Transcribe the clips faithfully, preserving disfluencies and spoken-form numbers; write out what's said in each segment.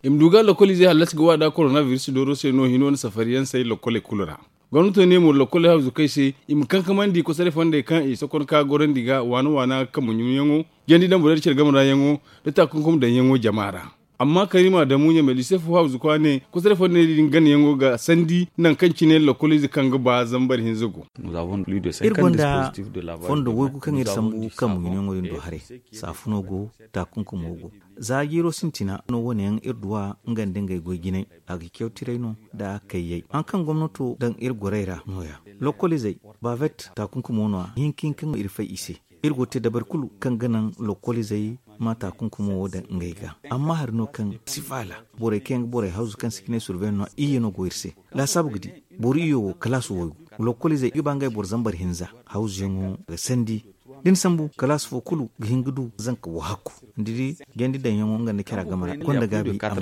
I ma du ga lokoliizey hallasi ga waada korona biris dooro se no hino nda safariyaŋ say lokoley kulu ra. Gomnato ne mo lokoley hawzu kay se i ma kankamandi kosoray fondey kaŋ i sokon ka gorandi ga waana waana kambu ɲumyaŋo, jandi daŋ borey da care game ra yaŋo, nda taakunkum daŋ yaŋo jama ra. Amma karima damu ɲamay liise fo hawzu kwa ne kosoray fondey din gana yaŋo ga sandi nangu kaŋ cine lokoliize kaŋ ga ba zambar hinza go. Iri gonda fondo waygu kaŋ iri sambu kambu ɲumyaŋo din do haray. Saafuno go, taakunkumo go. Za jiiro sintina no wane yaŋ iri duw'a nga nda ngey goy jinay. A ga caw tiray no nda kayyay haŋ kaŋ gomnato daŋ iri gorey ra no- ya. Lokoliizey, bavet taakunkumo no- ya hinka hinka no iri fay i se. Iri go ga te dabari kulu kaŋ ga naŋ lokoliizey ma taakunkumo wo daŋ ngey ga. Amma hari no kaŋ si faala, borey kaŋ yaŋ ga borey hawzu kaŋ si ga ne surveyan no- ya iyye no go iri se. Laasaabu ga di, boro iyyo wo kalaas waygu. Lokoliizey i ga ba ngey boro zambar hinza hawzuyaŋo ga sandi. Da ni sambu kalaas fo kulu ga hin ga du zanka wahakku. Ni di jandi daŋyaŋo nga nda care a game ra gonda gaabi a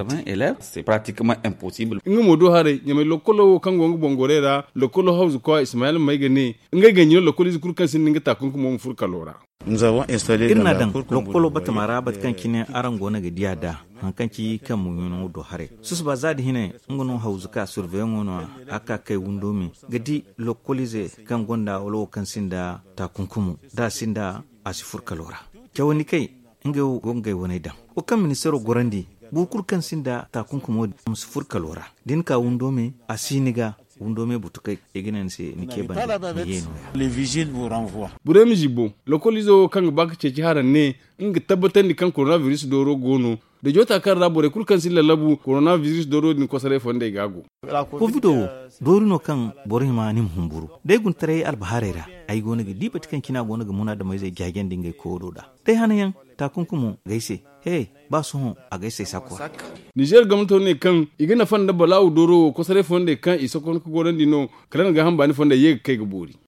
ma te. Nga mo do haray ɲamay lokolo wo kaŋ go nga boŋ gorey ra, lokolo hawzu kwa ismayel may ga ne, ngey ga ɲino lokoliize kulu kaŋ sinda nga taakunkumo ma furo kalo ra. Iri n'a daŋ lokolo batama ra bate kaŋ cine araŋ go no ga di a da haŋ kaŋ ci kambu ɲunaŋo do haray. Susuba za da hinay, nga no hawzu ka surveyaŋo no a ka kay windo me ga di lokoliize kaŋ gonda wala wo kaŋ sinda taakunkumo, da a sinda a si furo kalo ra. Cawandi kay, ngey wo go ngey waney daŋ. Wo kaŋ ministeero gorandi, boro kulu kaŋ sinda taakunkumo, a ma si furo kalo ra. Da ni ka windo me, a si ni ga. Windo me butukey i ga ne ni se ni ce banda ni ye no- ya. Borey ma zibo lokoliizo wo kaŋ ga ba ga ceeci haraŋ ne, nga ga tabbatandi kaŋ korona biris dooro go no. Da joota kaŋ ra borey kulu kaŋ si lallabu korona biris dooro din kosoray fondey ga go. Kovido wo, doori no kaŋ boro hima ni ma humburu. Day guntaray albahaarey ra, ay go no ga di bate kaŋ cine a go no ga munaadameyzey jaajandi ngey koodo da. Day hanayaŋ, taakunkumo g'ay se. He, ba sohõ a g'ay se sakko ra. Nizeer gomnato ne kaŋ i ga nafa nda balaawu dooro wo kosoray fondey kaŋ i sokon ga gorandi no, kala nga gaaham baani fondey ye ga kay ga boori.